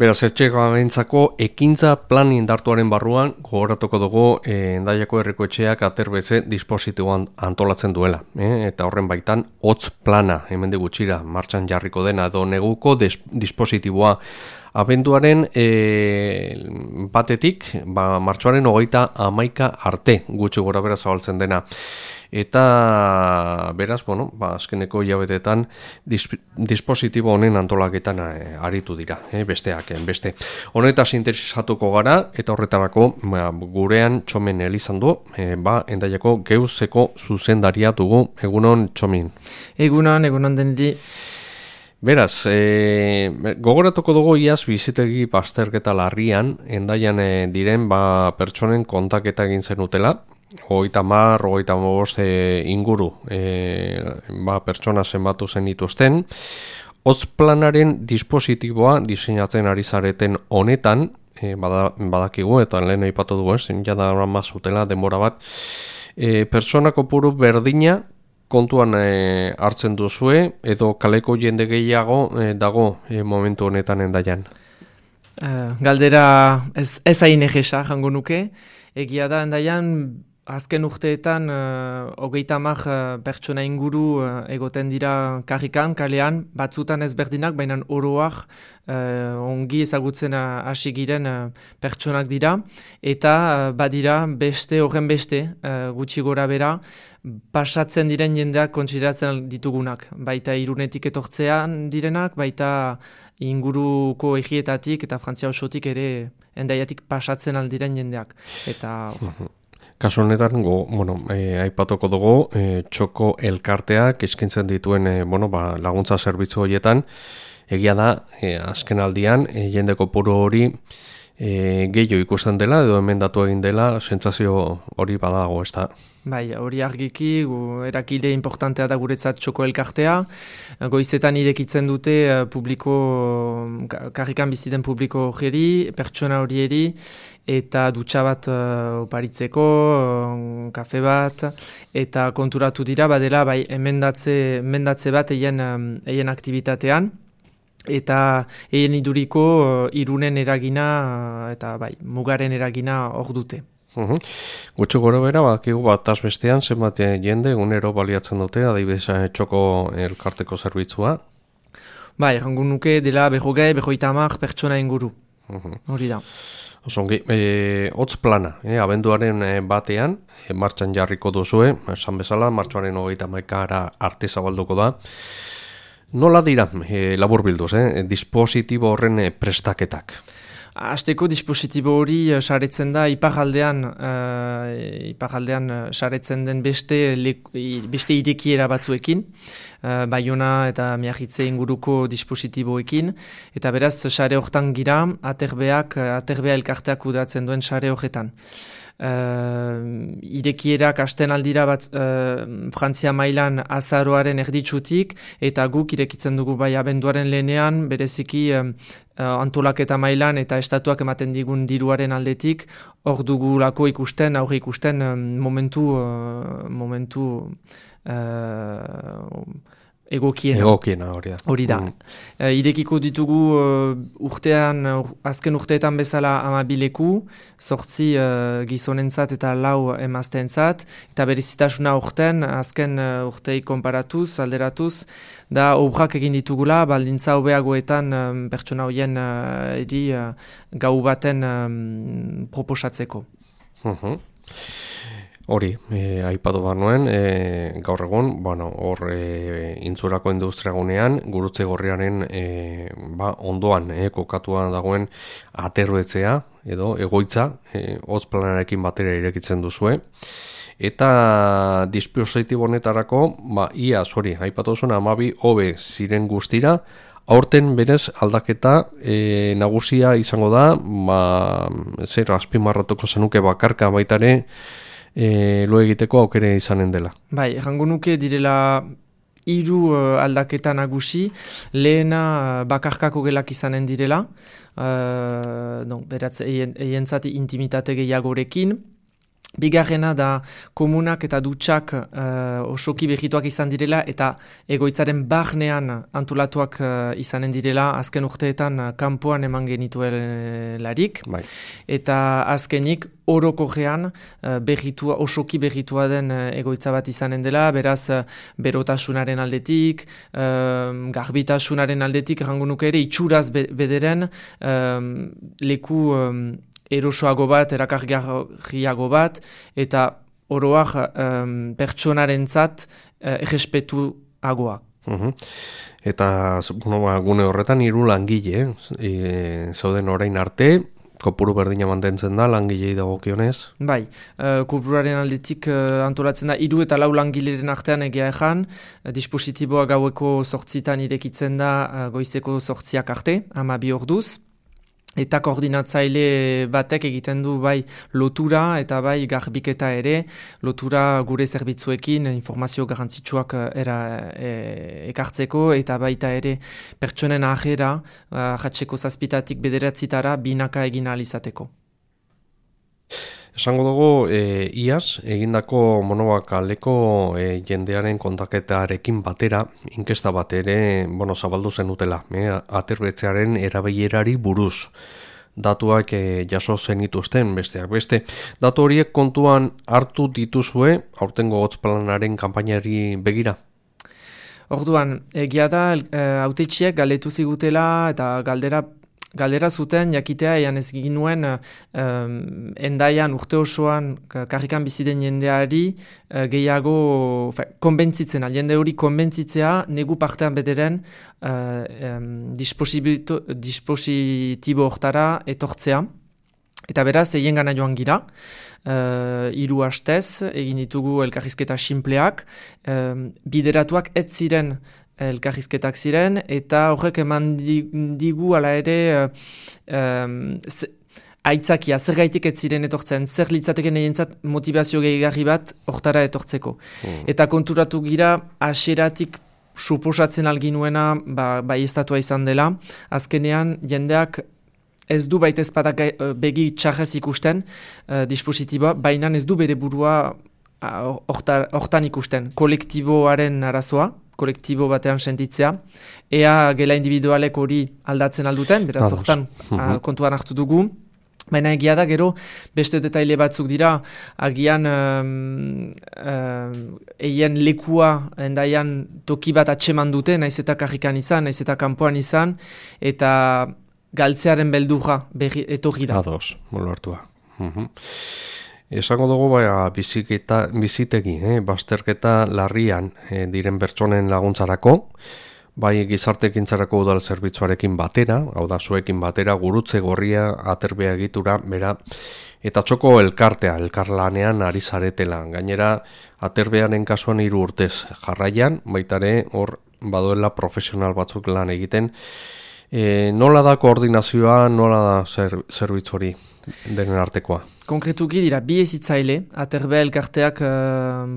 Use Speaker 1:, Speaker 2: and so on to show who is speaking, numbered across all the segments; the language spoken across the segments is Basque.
Speaker 1: Beraz, etxegabentzako ekintza plan indartuaren barruan gogoratuko dugu Hendaiako Herriko Etxeak aterbetze dispositiboan antolatzen duela. Eta horren baitan hotz plana, hemendik gutxira, martxan jarriko dena edo neguko dispositiboa. Abenduaren batetik, martxoaren 31 arte gutxi gora bera zabaltzen dena. Eta beraz, azkeneko hilabetetan dispositibo honen antolaketan aritu dira, besteak, beste. Honetaz interesatuko gara, eta horretarako gurean Txomin Elizandu, Hendaiako Geuzeko zuzendaria dugu. Egunon, Txomin.
Speaker 2: Egunon denri.
Speaker 1: Beraz, gogoratuko dugu iaz bizitegi bazterketa larrian, Hendaian diren pertsonen kontaketa egin zenutela, 30-35 inguru pertsona zenbatu zen dituzten. Hotz planaren dispositiboa diseinatzen ari zareten honetan, badakigu eta lehen aipatu dugu, jada mazutela denbora bat, pertsona kopuru berdina kontuan hartzen duzue, edo kaleko jende gehiago dago momentu honetan Hendaian?
Speaker 2: Galdera ez hain egesa jango nuke. Egia da Hendaian azken urteetan 30 pertsona inguru egoten dira karrikan, kalean, batzutan ezberdinak, baina oroak ongi ezagutzen hasi giren pertsonak dira, eta badira horren beste, gutxi gora bera, pasatzen diren jendeak kontsideratzen ditugunak, baita Irunetik etortzean direnak, baita inguruko egietatik eta Frantzia osotik ere Hendaiatik pasatzen aldiren jendeak. Eta
Speaker 1: kasu honetan, aipatuko dugu, txoko elkarteak eskaintzen dituen laguntza zerbitzu horietan, egia da, azken aldian, jende kopuru hori gehiago ikusten dela, edo emendatu egin dela, sentsazio hori badago, ez da?
Speaker 2: Bai, hori argiki, erakile importantea da guretzat txoko elkartea. Goizetan irekitzen dute karrikan biziden publiko hori, pertsona horieri, eta dutxa bat oparitzeko, kafe bat, eta konturatu dira, badela, bai, emendatze bat eien aktivitatean, eta eien iduriko Irunen eragina, eta bai, mugaren eragina hor dute.
Speaker 1: Gutxo gora bera, bataz bestean, zenbat jende egunero baliatzen dute, adibidez txoko elkarteko zerbitzua?
Speaker 2: Bai, errango nuke dela 50 pertsona inguru. Hori da.
Speaker 1: Osongi, hotz plana, abenduaren batean, martxan jarriko duzue, esan bezala, martxoaren 31 arte zabalduko da. Nola dira, labur bilduz, dispositibo horren prestaketak?
Speaker 2: Hasteko dispositibo hori saretzen da iparraldean saretzen den beste irekiera batzuekin, Baiona eta Miagitze inguruko dispositiboekin, eta beraz sare hortan gira aterbea elkarteak kudeatzen duen sare horretan. Irekierak hasten aldira bat Frantzia mailan azaroaren erditsutik, eta guk irekitzen dugu bai abenduaren lehenean, bereziki antolaketa mailan eta estatuak ematen digun diruaren aldetik, hor dugulako aurre ikusten momentu
Speaker 1: egokiena hori da.
Speaker 2: Hori da. Irekiko ditugu azken urteetan bezala 12 leku, 8 gizonentzat eta 4 emazteentzat, eta berezitasuna urten, azken urtei konparatuz, alderatuz, da obrak egin ditugula, baldintza hobeagoetan pertsona horien gau baten proposatzeko.
Speaker 1: Hori, aipatu behar nuen, gaur egun, hor intzurako industriagunean, gurutze gorriaren ondoan kokatua dagoen aterbetzea, edo egoitza, hotz planarekin batera irekitzen duzue. Eta dispositibo honetarako, aipatu zuen 12 hobe ziren guztira, aurten berez aldaketa nagusia izango da, zer azpimarratuko zenuke bakarka baitare, lo egiteko aukere izanen dela.
Speaker 2: Bai, errango nuke direla 3 aldaketa nagusi, lehena bakarkako gelak izanen direla, beratz eientzat intimitate gehiagorekin, Bigarrena da komunak eta dutxak osoki behituak izan direla eta egoitzaren barnean antolatuak izanen direla azken urteetan kanpoan eman genituelarik.
Speaker 1: Bai.
Speaker 2: Eta azkenik orokorrean osoki behitua den egoitza bat izanen dela, beraz berotasunaren aldetik, garbitasunaren aldetik, errango nuke ere itxuraz bederen leku erosoago bat, erakargarriago bat, eta oroak pertsonarentzat errespetuagoak.
Speaker 1: Eta gune horretan 3 langile, zauden orain arte, kopuru berdina mantentzen da, langilei dagokionez?
Speaker 2: Bai, kopuruaren aldetik antolatzen da 3 eta 4 langileren artean egia ezan, dispositiboa gaueko 8 irekitzen da goizeko 8 arte, 12 orduz. Eta koordinatzaile batek egiten du bai lotura eta bai garbiketa ere, lotura gure zerbitzuekin informazio garrantzitsuak ekartzeko eta baita ere pertsonen ahera jatzeko 7 bederatzitara binaka egin ahal izateko.
Speaker 1: Esango dugu, iaz, egindako monobakaleko jendearen kontaketarekin batera, inkesta bat ere, zabaldu zenutela, aterbetzearen erabilerari buruz. Datuak jaso zenituzten, besteak beste. Datu horiek kontuan hartu dituzue, aurtengo Hotz-planaren kanpainari begira?
Speaker 2: Orduan, egia da, hautetxiek galdetu zigutela eta galdera zuten jakitea ean ez ginuen endaian urte osoan karrikan biziden jendeari gehiago konbentzitzen, jende hori konbentzitzea negu partean bederen dispositibo hortara etortzea. Eta beraz, egin gana joan gira, 3 hastez, egin ditugu elkarrizketa sinpleak, bideratuak ez ziren elkarrizketak ziren, eta horrek eman digu ala ere aitzakia, zer gaitik ez ziren etortzen, zer litzateken egentzat motivazio gehigarri bat hortara etortzeko. Eta konturatu gira, hasieratik suposatzen alginuena bai estatua izan dela, azkenean jendeak ez du baita ezpadak begi txarrez ikusten dispositiboa, baina ez du bere burua hortan ikusten, kolektiboaren arazoa, kolektibo batean sentitzea, ea gela individualek hori aldatzen alduten, beraz hortan kontuan hartu dugu, baina egia da gero beste detaile batzuk dira, agian eien lekua endaian toki bat atseman dute, naiz eta karrikan izan, naiz eta kanpoan izan, eta galtzearen beldurra etorri da.
Speaker 1: Ados, molo hartua. Esango dugu bizitegi, bazterketa larrian diren pertsonen laguntzarako, bai gizartekintzarako udal zerbitzuarekin batera, hau da zuekin batera, gurutze gorria, aterbea egitura, bera, eta txoko elkarlanean ari zaretela. Gainera, aterbearen kasuan 3 urtez jarraian, baitare hor baduela profesional batzuk lan egiten. Nola da koordinazioa, nola da zerbitzu hori denen artekoa?
Speaker 2: Konkretuki dira, 2 ezitzaile, aterbea elkarteak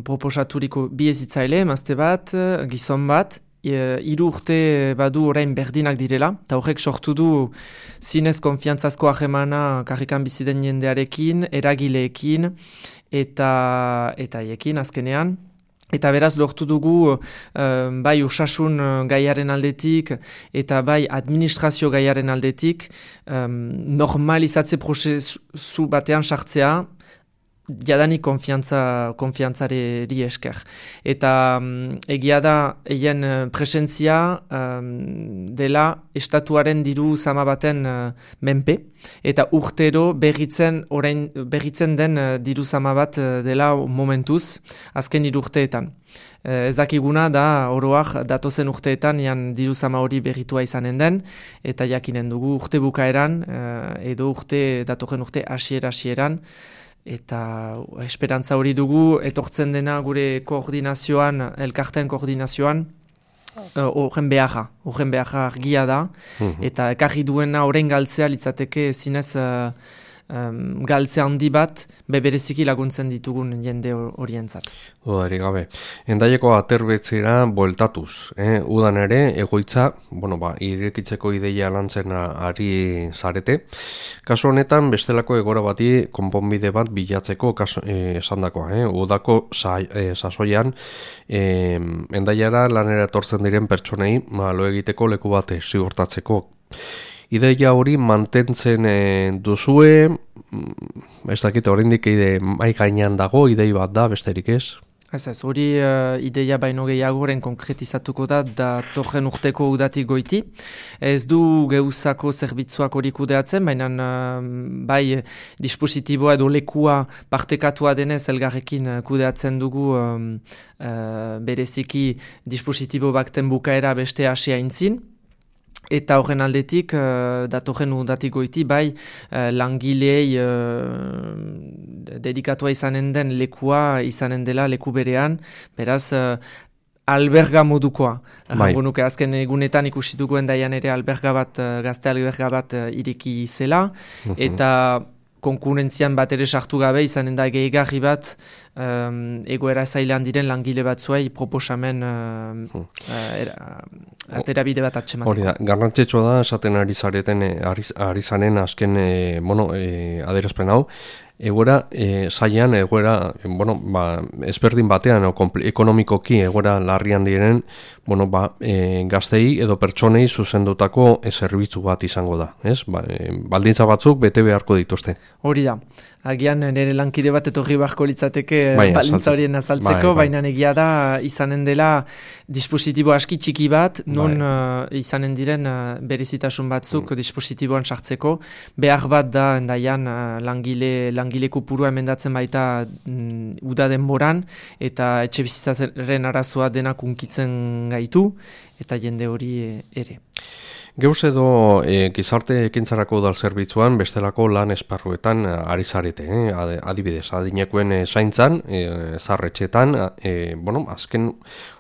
Speaker 2: proposaturiko 2 ezitzaile, emazte bat, gizon bat, 3 urte badu orain berdinak direla, eta horrek sortu du zinez konfiantzazko ahemana karrikan biziden jendearekin, eragileekin, eta ekin azkenean. Eta beraz lortu dugu bai osasun gaiaren aldetik eta bai administrazio gaiaren aldetik normalizatze prozesu batean sartzea jadanik konfiantzari esker. Eta egia da eien presentzia dela estatuaren diru zama baten menpe, eta urtero berritzen den diru zama bat dela momentuz, azken 3 urteetan. Ez dakiguna da oroak datozen urteetan diru zama hori berritua izanen den, eta jakinen dugu urte bukaeran, edo datorren urte hasieran, eta esperantza hori dugu, etortzen dena gure koordinazioan, elkarten koordinazioan, horren beharra argia da, eta ekarri duena orain galtzea litzateke zinez galtze handi bat, bereziki laguntzen ditugun jende horientzat.
Speaker 1: Dudarik gabe. Hendaieko aterbetzera bueltatuz. Udan ere, egoitza, irekitzeko ideia lantzen ari zarete. Kasu honetan, bestelako egora bati konponbide bat bilatzeko esandakoa. Udako sasoian, Hendaiara lanera etortzen diren pertsonei lo egiteko leku bate ziurtatzeko. Ideia hori mantentzen duzue, ez dakit oraindik mai gainean dago, idei bat da, besterik ez?
Speaker 2: Ez, hori ideia baino gehiagoren konkretizatuko da torren urteko udatik goiti. Ez du geuzako zerbitzuak hori kudeatzen, baina bai dispositiboa edo lekua partekatua denez elgarrekin kudeatzen dugu bereziki dispositibo bakten bukaera beste asia intzin. Eta horren aldetik, datorren udatik goiti, bai langilei dedikatua izanen den lekua izanen dela leku berean, beraz alberga modukoa. Jango nuke azken egunetan ikusi dugu Hendaian ere gazte alberga bat ireki zela, eta konkurentzian bat ere sartu gabe izanen da gehigarri bat egoera zailan diren langile batzuei proposamen aterabide bat atxemateko.
Speaker 1: Hori da, garrantzitsua da esaten ari zaren azken adierazpen hau, egoera zailan, ezberdin batean, ekonomikoki egoera larrian diren, gaztei edo pertsonei zuzendutako zerbitzu bat izango da, ez? Baldintza batzuk bete beharko dituzte.
Speaker 2: Hori da. Agian nire lankide bat etorri beharko litzateke baldintza horien azaltzeko, baina egia da izanen dela dispositibo aski txiki bat, non izanen diren berezitasun batzuk dispositiboan sartzeko. Behar bat da Hendaian langile kopurua emendatzen baita uda denboran, eta etxe bizitzaren arazoa denak unkitzen gaitu, eta jende hori ere.
Speaker 1: Geuz edo gizarte ekintzarako udal zerbitzuan bestelako lan esparruetan ari zarete, adibidez, adinekoen zaintzan, zarretxetan, azken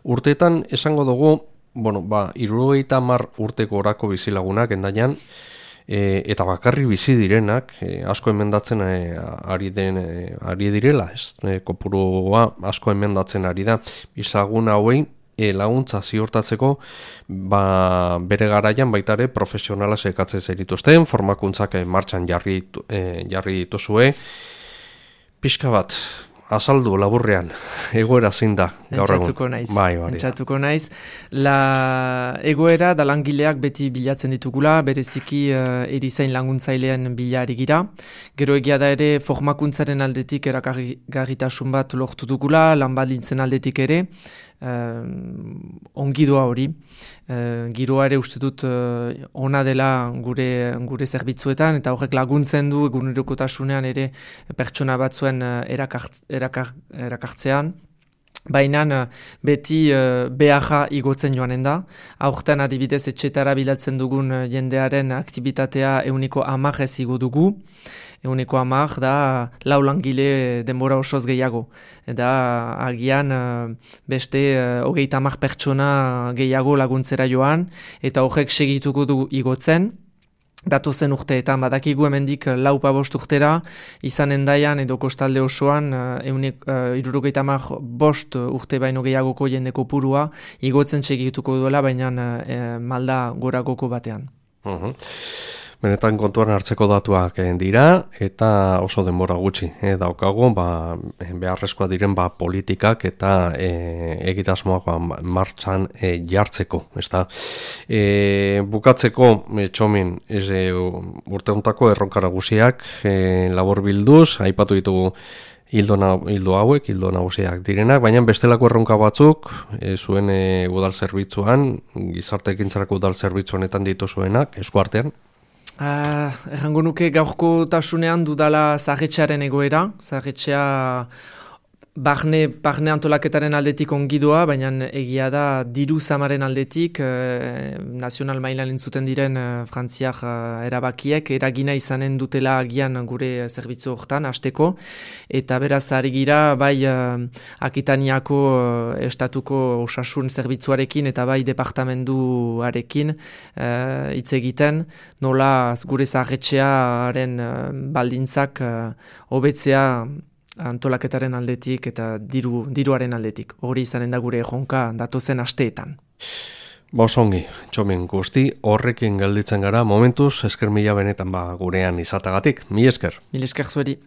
Speaker 1: urteetan esango dugu, 70 urteko orako bizilagunak Hendaian, eta bakarri bizi direnak, asko emendatzen ari direla, kopurua asko emendatzen ari da, bizilagun hauei, laguntza ziurtatzeko bere garaian baitare profesionala sekatzen zerituzten, formakuntzak martxan jarri dituzue. Pixka bat, azaldu laburrean, egoera zein da gaur egun.
Speaker 2: Entzatuko naiz. Egoera da langileak beti bilatzen ditugula, bereziki erizain laguntzailean bilari gira. Gero egia da ere formakuntzaren aldetik erakargarritasun bat lortu dugula, lan baldintzen aldetik ere. Ongidoa hori, giroa ere uste dut ona dela gure zerbitzuetan, eta horrek laguntzen du egunerokotasunean ere pertsona batzuen erakartzean. Baina beti beharra igotzen joanen da. Aurten adibidez etxetara bilatzen dugun jendearen aktibitatea 10% igo dugu. 10% da 4 langile denbora osoz gehiago. Da agian beste 30 pertsona gehiago laguntzera joan, eta horrek segituko du igotzen. Datozen urteetan, badakigu hemendik 4-5 urtera, izan Hendaian edo kostalde osoan 75 urte baino gehiagoko jende kopurua igotzen segituko duela, baina malda goragoko batean.
Speaker 1: Benetan kontuan hartzeko datuak dira, eta oso denbora gutxi daukagu, beharrezkoa diren politikak eta egitasmoak martxan jartzeko. Bukatzeko, Txomin, urte hontako erronka nagusiak labor bilduz, aipatu ditugu hildo nagusiak direnak, baina bestelako erronka batzuk zuen udal zerbitzuan, gizarte ekintzarako udal zerbitzuanetan dituzuenak, eskuartean.
Speaker 2: Errango nuke gaurko tasunean dudala zahetxearen egoera. Zahetxea Barne antolaketaren aldetik ongidoa, baina egia da diru zamaren aldetik nazional mailan entzuten diren frantziak erabakiek eragina izanen dutela agian gure zerbitzu hortan hasteko, eta beraz ari gira bai Akitaniako estatuko osasun zerbitzuarekin eta bai departamenduarekin hitz egiten, nola gure zaharretxearen baldintzak hobetzea antolaketaren aldetik eta diruaren aldetik. Hori izanen da gure jonka datozen asteetan.
Speaker 1: Bosongi, Txomin guzti, horrekin gelditzen gara momentuz, esker mila benetan gurean izatagatik. Mil esker.
Speaker 2: Mil esker zueri.